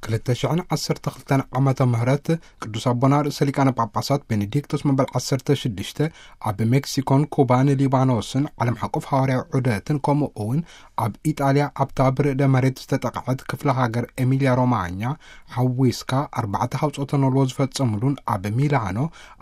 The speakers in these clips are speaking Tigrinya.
ክልተ ሽሕን ዓሰርተ ክልተን ዓመተ ምህረት ቅዱስ ኣቦና ርእሰ ሊቃነ ጳጳሳት ቤኔዲክቶስ መበል ዓሰርተ ሽዱሽተ ኣብ ሜክሲኮን ኩባን ሊባኖስን ዓለም ሓቆፍ ሃዋርያዊ ዑደትን፣ ከምኡ እውን ኣብ ኢጣልያ ኣብታ ብርዕደ መሬት ዝተጠቕዐት ክፍለ ሃገር ኤሚልያ ሮማኛ ሓዊስካ ኣርባዕተ ሃውጾተ ኖልዎ ዝፈጸሙሉን ኣብ ሚላኖ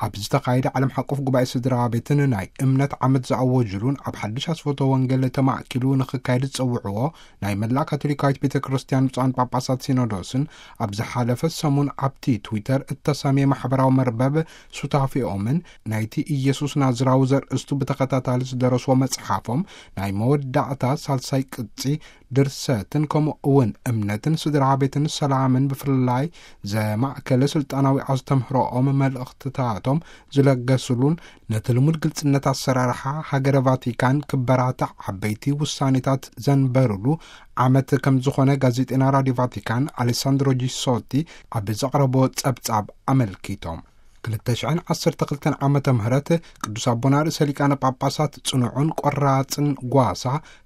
ኣብ ዝተኻየደ ዓለም ሓቆፍ ጉባኤ ስድራ ቤትን ናይ እምነት ዓመት ዝኣወጅሉን ኣብ ሓድሽ ኣስፈቶ ወንጌል ተማእኪሉ ንኽካየድ ዝጸውዕዎ ናይ መላእ ካቶሊካዊት ቤተ ክርስቲያን ብፁዓን ጳጳሳት ሲኖዶስን ኣብ ዝሓለፈ ሰሙን ኣብቲ ትዊተር እተሰምየ ማሕበራዊ መርበብ ሱታፊኦምን ናይቲ ኢየሱስ ናዝራዊ ዘርእስቱ ብተኸታታሊ ዝደረስዎ መጽሓፎም ናይ መወዳእታ ሳልሳይ ቅጺ ድርሰትን ከምኡ እውን እምነትን ስድራ ቤትን ሰላምን ብፍላይ ዘማእከለ ስልጣናዊ ኣስተምህሮኦም መልእኽትታቶም ዝለገስሉን ነቲ ልሙድ ግልጽነት ኣሰራርሓ ሃገረ ቫቲካን ክበራታዕ ዓበይቲ ውሳኔታት ዘንበሩሉ ዓመት ከም ዝኾነ ጋዜጠና ራድዮ ቫቲካን ኣሌሳንድሮ ጂሶቲ ኣብ ዘቕረቦ ጸብጻብ ኣመልኪቶም። ክልተ ሽሕን ዓሰርተ ክልተን ዓመተ ምህረት ቅዱስ ኣቦና ርእሰ ሊቃነ ጳጳሳት ጽኑዕን ቆራጽን ጓሳ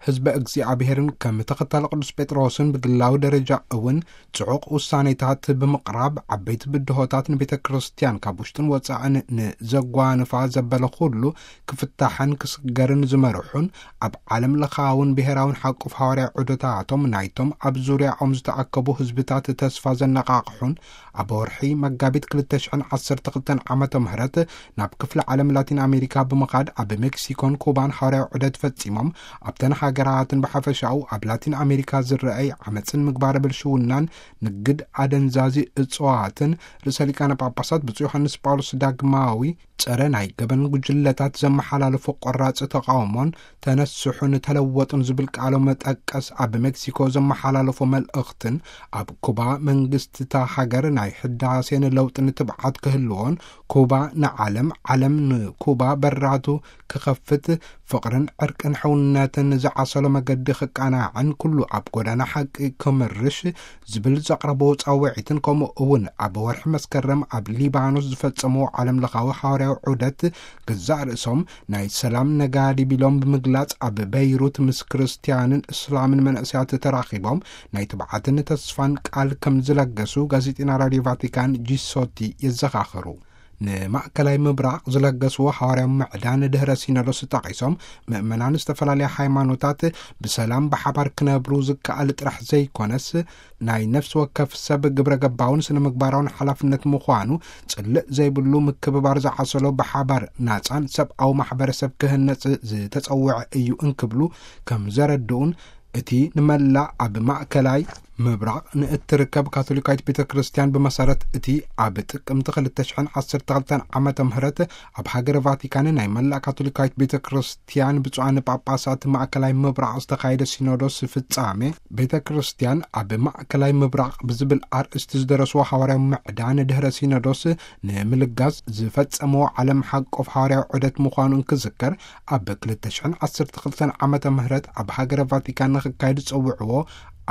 ህዝበ እግዚኣብሔርን ከም ተኸታሊ ቅዱስ ጴጥሮስን ብግላዊ ደረጃ እውን ጽዑቕ ውሳኔታት ብምቕራብ ዓበይቲ ብድሆታት ንቤተ ክርስቲያን ካብ ውሽጥን ወጻእን ንዘጓንፋ ዘበለ ኩሉ ክፍታሕን ክስገርን ዝመርሑን ኣብ ዓለም ለኻውን ብሔራውን ሓቁፍ ሃዋርያ ዑደታቶም ናይቶም ኣብ ዙርያኦም ዝተኣከቡ ህዝብታት ተስፋ ዘነቓቕሑን ኣብ ወርሒ መጋቢት ክልተ ሽሕን ዓሰርተ ክልተን ዓመተ ምህረት ናብ ክፍለ ዓለም ላቲን ኣሜሪካ ብምኻድ ኣብ ሜክሲኮን ኩባን ሃዋርያዊ ዑደት ፈጺሞም ኣብተን ሃገራትን ብሓፈሻኡ ኣብ ላቲን ኣሜሪካ ዝረኣይ ዓመፅን ምግባረ ብልሽውናን ንግድ ኣደንዛዚ እፅዋትን ርእሰ ሊቃነ ጳጳሳት ብፁዕ ዮሃንስ ጳውሎስ ዳግማዊ ጸረ ናይ ገበን ጉጅለታት ዘመሓላለፎ ቆራጽ ተቓውሞን ተነስሑን ተለወጡን ዝብል ቃሎም መጠቀስ ኣብ ሜክሲኮ ዘመሓላለፎ መልእኽትን ኣብ ኩባ መንግስቲ እታ ሃገር ናይ ሕዳሴን ለውጥን ትብዓት ክህልዎን ኩባ ንዓለም ዓለም ንኩባ በራቱ ክኸፍት ፍቕርን ዕርቅን ሕውነትን ዝዓሰሎ መገዲ ክቃናዕን ኩሉ ኣብ ጎዳና ሓቂ ክምርሽ ዝብል ዘቕረቦ ጻውዒትን ከምኡ እውን ኣብ ወርሒ መስከረም ኣብ ሊባኖስ ዝፈጸሞ ዓለም ለኻዊ ሃዋርያዊ ዑደት ገዛእ ርእሶም ናይ ሰላም ነጋዲ ቢሎም ብምግላጽ ኣብ በይሩት ምስ ክርስትያንን እስላምን መንእሰያት ተራኺቦም ናይ ትብዓትን ተስፋን ቃል ከም ዝለገሱ ጋዜጠና ራድዮ ቫቲካን ጂሶቲ የዘኻኽሩ። ንማእከላይ ምብራቕ ዝለገስዎ ሃዋርያዊ ምዕዳን ድህረ ሲኖዶስ ጠቒሶም ምእመናን ዝተፈላለያ ሃይማኖታት ብሰላም ብሓባር ክነብሩ ዝከኣል ጥራሕ ዘይኮነስ ናይ ነፍሲ ወከፍ ሰብ ግብረ ገባውን ስነ ምግባራውን ሓላፍነት ምዃኑ ጽልእ ዘይብሉ ምክብባር ዝዓሰሎ ብሓባር ናጻን ሰብኣዊ ማሕበረሰብ ክህነጽ ዝተጸውዐ እዩ እንክብሉ ከም ዘረድኡን እቲ ንመላእ ኣብ ማእከላይ ምብራቕ ንእትርከብ ካቶሊካዊት ቤተ ክርስቲያን ብመሰረት እቲ ኣብ ጥቅምቲ ክልተ ሽሕን ዓሰርተ ክልተን ዓመተ ምህረት ኣብ ሃገረ ቫቲካን ናይ መላእ ካቶሊካዊት ቤተ ክርስቲያን ብፁዓን ጳጳሳት ማእከላይ ምብራቕ ዝተኻየደ ሲኖዶስ ፍጻሜ ቤተ ክርስቲያን ኣብ ማእከላይ ምብራቕ ብዝብል ኣርእስቲ ዝደረስዎ ሃዋርያዊ ምዕዳን ድህረ ሲኖዶስ ንምልጋስ ዝፈጸምዎ ዓለም ሓቆፍ ሃዋርያዊ ዑደት ምዃኑ እንክዝከር ኣብ ክልተ ሽሕን ዓሰርተ ክልተን ዓመተ ምህረት ኣብ ሃገረ ቫቲካን ንክካየድ ዝጸውዕዎ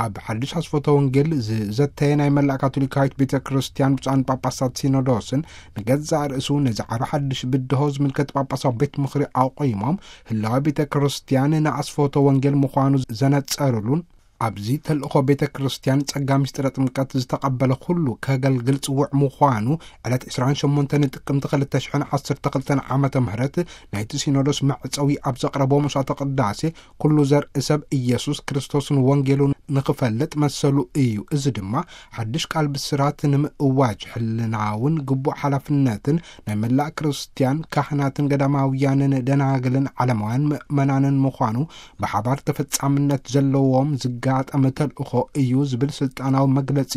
ኣብ ሓድሽ ኣስፈቶ ወንጌል ዝዘተየ ናይ መላእ ካቶሊካዊት ቤተ ክርስቲያን ብፁዓን ጳጳሳት ሲኖዶስን ንገዛእ ርእሱ ነዚ ዓቢ ሓድሽ ብድሆ ዝምልከት ጳጳሳዊ ቤት ምኽሪ ኣቑሞም ህላዊ ቤተ ክርስቲያን ንኣስፈቶ ወንጌል ምዃኑ ዘነጸሩሉን ኣብዚ ተልእኾ ቤተ ክርስቲያን ጸጋ ምስጢረ ጥምቀት ዝተቐበለ ኩሉ ከገልግል ጽውዕ ምዃኑ ዕለት ዕስራን ሸሞንተን ጥቅምቲ ክልተ ሽሕን ዓሰርተ ክልተን ዓመተ ምህረት ናይቲ ሲኖዶስ መዕጸዊ ኣብ ዘቕረቦ መስዋዕተ ቅዳሴ ኩሉ ዘርኢ ሰብ ኢየሱስ ክርስቶስን ወንጌሉን ንኽፈልጥ መሰሉ እዩ። እዚ ድማ ሓድሽ ቃል ብስራት ንምእዋጅ ሕልናውን ግቡእ ሓላፍነትን ናይ መላእ ክርስቲያን ካህናትን ገዳማውያንን ደናግልን ዓለማውያን ምእመናንን ምዃኑ ብሓባር ተፈጻምነት ዘለዎም ዝጋጠመ ተልእኾ እዩ ዝብል ስልጣናዊ መግለጺ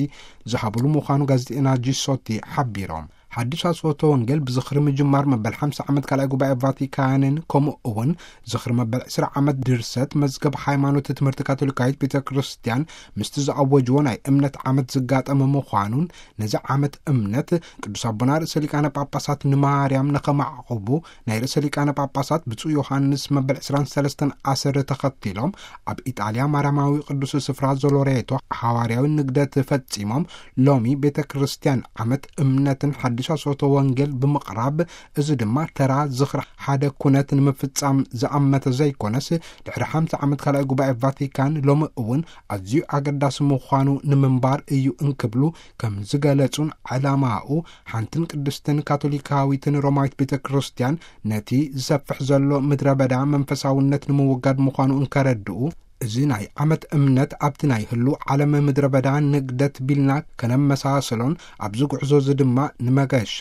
ዝሃብሉ ምዃኑ ጋዜጠና ጂሶቲ ሓቢሮም። ሓድሽ ኣስፈቶ ወንጌል ብዝኽሪ ምጅማር መበል ሓምሳ ዓመት ካልኣይ ጉባኤ ቫቲካንን ከምኡ እውን ዝኽሪ መበል ዕስራ ዓመት ድርሰት መዝገብ ሃይማኖት ትምህርቲ ካቶሊካዊት ቤተ ክርስቲያን ምስቲ ዝኣወጅዎ ናይ እምነት ዓመት ዝጋጠመ ምዃኑን ነዚ ዓመት እምነት ቅዱስ ኣቦና ርእሰ ሊቃነ ጳጳሳት ንማርያም ንኸማዕቕቡ ናይ ርእሰ ሊቃነ ጳጳሳት ብፁዕ ዮሃንስ መበል ዕስራን ሰለስተን ኣሰር ተኸቲሎም ኣብ ኢጣልያ ማርያማዊ ቅዱስ ስፍራ ዞሎሬቶ ሓዋርያዊ ንግደት ፈጺሞም ሎሚ ቤተ ክርስቲያን ዓመት እምነትን ሓድሽ ሻሶቶ ወንጌል ብምቕራብ፣ እዚ ድማ ተራ ዝኽሪ ሓደ ኩነት ንምፍጻም ዝኣመተ ዘይኮነስ፣ ድሕሪ ሓምሳ ዓመት ካልኣይ ጉባኤ ቫቲካን ሎሚ እውን ኣዝዩ ኣገዳሲ ምዃኑ ንምንባር እዩ እንክብሉ ከም ዝገለጹን፣ ዕላማኡ ሓንትን ቅድስትን ካቶሊካዊትን ሮማዊት ቤተ ክርስቲያን ነቲ ዝሰፍሕ ዘሎ ምድረ በዳ መንፈሳውነት ንምውጋድ ምዃኑ እንከረድኡ፣ እዚ ናይ ዓመት እምነት ኣብቲ ናይ ህሉ ዓለም ምድረ በዳ ንግደት ቢልና ከነመሳሰሎን፣ ኣብዚ ጉዕዞ እዚ ድማ ንመገሻ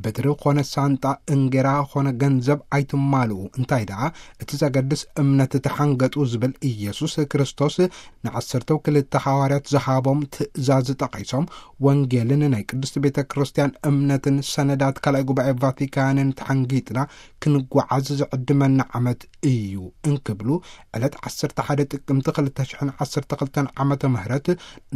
በትሪ ኾነ ሳንጣ፣ እንጌራ ኾነ ገንዘብ ኣይትማልኡ፣ እንታይ ደኣ እቲ ዘገድስ እምነት ተሓንገጡ ዝብል ኢየሱስ ክርስቶስ ንዓሰርተው ክልተ ሓዋርያት ዝሃቦም ትእዛዝ ጠቒሶም፣ ወንጌልን ናይ ቅድስቲ ቤተ ክርስቲያን እምነትን ሰነዳት ካልኣይ ጉባኤ ቫቲካንን ተሓንጊጥና ክንጓዓዝ ዝዕድመና ዓመት እዩ እንክብሉ፣ ዕለት ዓሰርተ ሓደ ጥቅምቲ ክልተ ሽሕን ዓሰርተ ክልተን ዓመተ ምህረት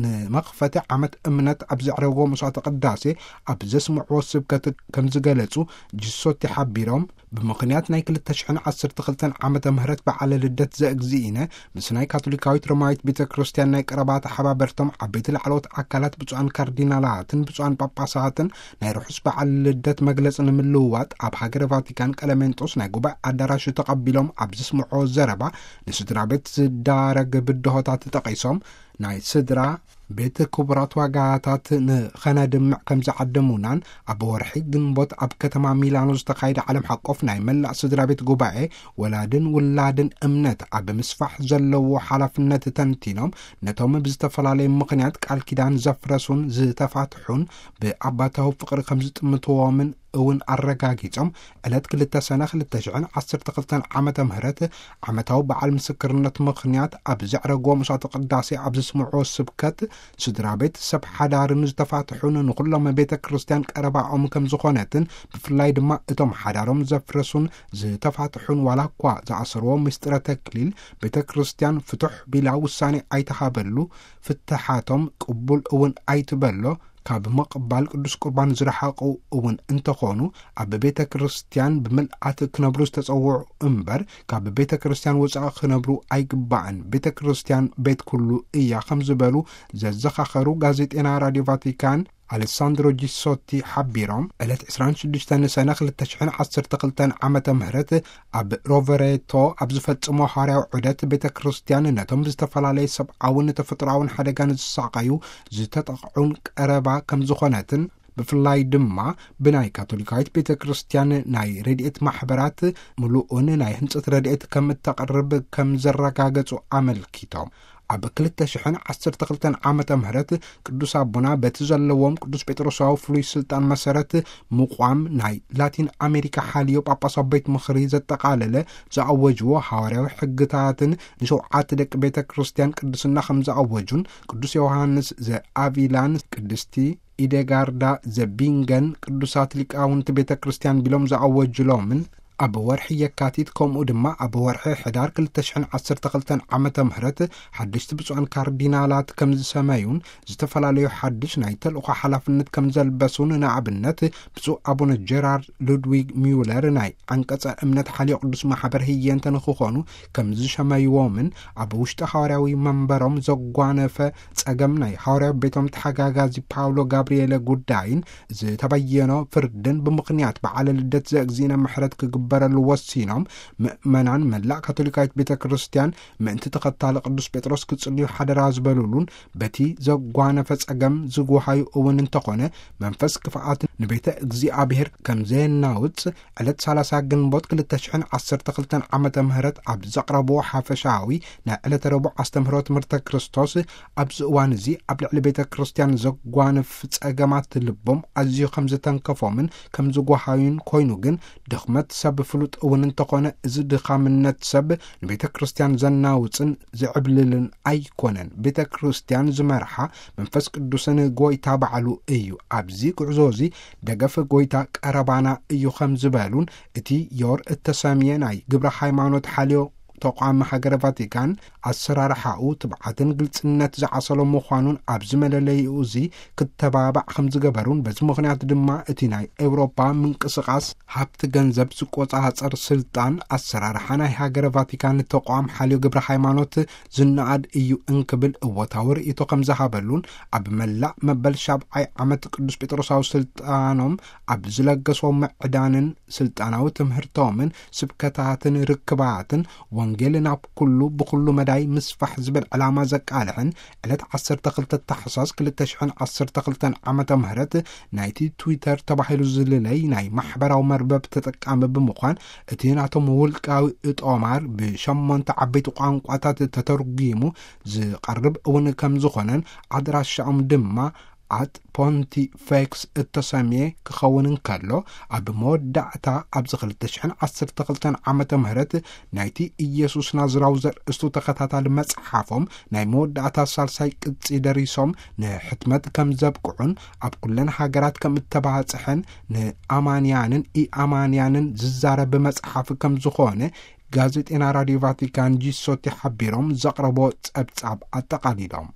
ንመኽፈቲ ዓመት እምነት ኣብ ዘዕረግዎ መስዋዕተ ቅዳሴ ኣብ ዘስምዕዎ ስብከት ከም ዝገለጹ ጂሶቲ ሓቢሮም፣ ብምኽንያት ናይ ክልተ ሽሕን ዓሰርተ ክልተን ዓመተ ምህረት በዓለ ልደት ዘእግዚእነ ምስ ናይ ካቶሊካዊት ሮማዊት ቤተ ክርስቲያን ናይ ቀረባ ተሓባበርቶም ዓበይቲ ላዕለዎት ኣካላት ብፁዓን ካርዲናላትን ብፁዓን ጳጳሳትን ናይ ርሑስ በዓል ልደት መግለጺ ንምልውዋጥ ኣብ ሃገረ ቫቲካን ቀለሜንጦስ ናይ ጉባኤ ኣዳራሽ ተቐቢሎም ኣብ ዘስምዕዎ ዘረባ፣ ንስድራ ቤት ዝዳረግ ብድሆታት ጠቒሶም፣ ናይ ስድራ ቤት ክቡራት ዋጋታት ንኸነድምዕ ከም ዝዓደሙናን፣ ኣብ ወርሒ ግንቦት ኣብ ከተማ ሚላኖ ዝተኻየደ ዓለም ሓቆፍ ናይ መላእ ስድራ ቤት ጉባኤ ወላድን ውላድን እምነት ኣብ ምስፋሕ ዘለዎ ሓላፍነት ተንቲኖም፣ ነቶም ብዝተፈላለየ ምኽንያት ቃል ኪዳን ዘፍረሱን ዝተፋትሑን ብኣባታዊ ፍቕሪ ከም ዝጥምትዎምን እውን ኣረጋጊጾም፣ ዕለት ክልተ ሰነ ክልተ ሽሕን ዓሰርተ ክልተን ዓመተ ምህረት ዓመታዊ በዓል ምስክርነት ምኽንያት ኣብ ዘዕረግዎ መስዋዕተ ቅዳሴ ኣብ ዘስምዕዎ ስብከት፣ ስድራ ቤት ሰብ ሓዳርን ዝተፋትሑን ንኹሎም ቤተ ክርስቲያን ቀረባኦም ከም ዝኾነትን፣ ብፍላይ ድማ እቶም ሓዳሮም ዘፍረሱን ዝተፋትሑን ዋላ እኳ ዝኣሰርዎ ምስጢረ ተክሊል ቤተ ክርስቲያን ፍቱሕ ቢላ ውሳኔ ኣይተሃበሉ፣ ፍትሓቶም ቅቡል እውን ኣይትበሎ፣ ካብ ምቕባል ቅዱስ ቁርባን ዝረሓቑ እውን እንተኾኑ፣ ኣብ ቤተ ክርስቲያን ብምልኣት ክነብሩ ዝተጸውዑ እምበር፣ ካብ ቤተ ክርስቲያን ወጻኢ ክነብሩ ኣይግባእን። ቤተ ክርስቲያን ቤት ኩሉ እያ ከም ዝበሉ ዘዘኻኸሩ ጋዜጤና ራዲዮ ቫቲካን ኣሌሳንድሮ ጂሶቲ ሓቢሮም፣ ዕለት ዕስራን ሽዱሽተን ሰነ ክልተ ሽሕን ዓሰርተ ክልተን ዓመተ ምህረት ኣብ ሮቨሬቶ ኣብ ዝፈጽሞ ሃዋርያዊ ዑደት፣ ቤተ ክርስቲያን ነቶም ብዝተፈላለየ ሰብኣውን ተፈጥሮኣውን ሓደጋ ንዝሳቐዩ ዝተጠቕዑን ቀረባ ከም ዝኾነትን፣ ብፍላይ ድማ ብናይ ካቶሊካዊት ቤተ ክርስቲያን ናይ ረድኤት ማሕበራት ምሉእን ናይ ህንጸት ረድኤት ከም እተቕርብ ከም ዘረጋገጹ ኣመልኪቶም። ኣብ ክልተ ሽሕን ዓሰርተ ክልተን ዓመተ ምህረት ቅዱስ ኣቦና በቲ ዘለዎም ቅዱስ ጴጥሮሳዊ ፍሉይ ስልጣን መሰረት ምቋም ናይ ላቲን ኣሜሪካ ሓልዮ ጳጳሳዊ ቤት ምኽሪ ዘጠቓለለ ዝኣወጅዎ ሃዋርያዊ ሕግታትን ንሸውዓተ ደቂ ቤተ ክርስቲያን ቅድስና ከም ዝኣወጁን ቅዱስ ዮሃንስ ዘኣቪላን ቅድስቲ ኢደጋርዳ ዘቢንገን ቅዱሳት ሊቃውንቲ ቤተ ክርስቲያን ቢሎም ዝኣወጅሎምን ኣብ ወርሒ የካቲት፣ ከምኡ ድማ ኣብ ወርሒ ሕዳር ክልተ ሽሕን ዓሰርተ ክልተን ዓመተ ምህረት ሓደሽቲ ብፁዓን ካርዲናላት ከም ዝሰመዩን ዝተፈላለዩ ሓድሽ ናይ ተልእኾ ሓላፍነት ከም ዘልበሱን፣ ንኣብነት ብፁዕ ኣቡነ ጀራርድ ሉድዊግ ሚውለር ናይ ዓንቀጸ እምነት ሓልዮ ቅዱስ ማሕበር ህየንተ ንክኾኑ ከም ዝሸመይዎምን፣ ኣብ ውሽጢ ሃዋርያዊ መንበሮም ዘጓነፈ ጸገም ናይ ሃዋርያዊ ቤቶም ተሓጋጋዚ ፓውሎ ጋብርኤለ ጉዳይን ዝተበየኖ ፍርድን ብምኽንያት በዓለ ልደት ዘእግዚእነ ምሕረት ክግበረሉ ወሲኖም፣ ምእመናን መላእ ካቶሊካዊት ቤተ ክርስቲያን ምእንቲ ተኸታሊ ቅዱስ ጴጥሮስ ክጽልዩ ሓደራ ዝበሉሉን፣ በቲ ዘጓነፈ ጸገም ዝጉሃዩ እውን እንተኾነ፣ መንፈስ ክፍኣት ንቤተ እግዚኣብሔር ከም ዘየናውጽ፣ ዕለት ሰላሳ ግንቦት ክልተ ሽሕን ዓሰርተ ክልተን ዓመተ ምህረት ኣብ ዘቕረብዎ ሓፈሻዊ ናይ ዕለተ ረቡዕ ኣስተምህሮ ትምህርተ ክርስቶስ፣ ኣብዚ እዋን እዚ ኣብ ልዕሊ ቤተ ክርስቲያን ዘጓንፍ ጸገማት ልቦም ኣዝዩ ከም ዝተንከፎምን ከም ዝጓሃዩን ኮይኑ ግን፣ ድኽመት ሰብ ፍሉጥ እውን እንተኾነ፣ እዚ ድኻምነት ሰብ ንቤተ ክርስቲያን ዘናውጽን ዝዕብልልን ኣይኮነን። ቤተ ክርስቲያን ዝመርሓ መንፈስ ቅዱስን ጎይታ ባዕሉ እዩ። ኣብዚ ጉዕዞ እዚ ደገፍ ጎይታ ቀረባና እዩ ከም ዝበሉን፣ እቲ ዮር እተሰምየ ናይ ግብረ ሃይማኖት ሓልዮ ተቋም ሃገረ ቫቲካን ኣሰራርሓኡ ትብዓትን ግልጽነት ዝዓሰሎ ምዃኑን ኣብዚ መለለይኡ እዚ ክተባባዕ ከም ዝገበሩን፣ በዚ ምኽንያት ድማ እቲ ናይ ኤውሮፓ ምንቅስቓስ ሃብቲ ገንዘብ ዝቆጻጸር ስልጣን ኣሰራርሓ ናይ ሃገረ ቫቲካን ተቋም ሓልዮ ግብረ ሃይማኖት ዝነኣድ እዩ እንክብል እወታዊ ርእይቶ ከም ዝሃበሉን፣ ኣብ መላእ መበል ሻብዓይ ዓመት ቅዱስ ጴጥሮሳዊ ስልጣኖም ኣብ ዝለገሶ ምዕዳንን ስልጣናዊ ትምህርቶምን ስብከታትን ርክባትን ወንጌል ናብ ኩሉ ብኩሉ መዳይ ምስፋሕ ዝብል ዕላማ ዘቃልሕን፣ ዕለት ዓሰርተ ክልተ ታሕሳስ ክልተ ሽሕን ዓሰርተ ክልተን ዓመተ ምህረት ናይቲ ትዊተር ተባሂሉ ዝልለይ ናይ ማሕበራዊ መርበብ ተጠቃሚ ብምዃን፣ እቲ ናቶም ውልቃዊ እጦማር ብሸሞንተ ዓበይቲ ቋንቋታት ተተርጒሙ ዝቐርብ እውን ከም ዝኾነን፣ ኣድራሻኦም ድማ ኣት ፖንቲፌክስ እተሰምየ ክኸውን እንከሎ፣ ኣብ መወዳእታ ኣብዚ ክልተ ሽሕን ዓሰርተ ክልተን ዓመተ ምህረት ናይቲ ኢየሱስ ናዝራዊ ዘርእስቱ ተኸታታሊ መጽሓፎም ናይ መወዳእታ ሳልሳይ ቅጺ ደሪሶም ንሕትመት ከም ዘብቅዑን፣ ኣብ ኩለን ሃገራት ከም እተባጽሐን፣ ንኣማንያንን ኢኣማንያንን ዝዛረብ መጽሓፍ ከም ዝኾነ ጋዜጤና ራዲዮ ቫቲካን ጂሶቲ ሓቢሮም ዘቕረቦ ጸብጻብ ኣጠቓሊሎም።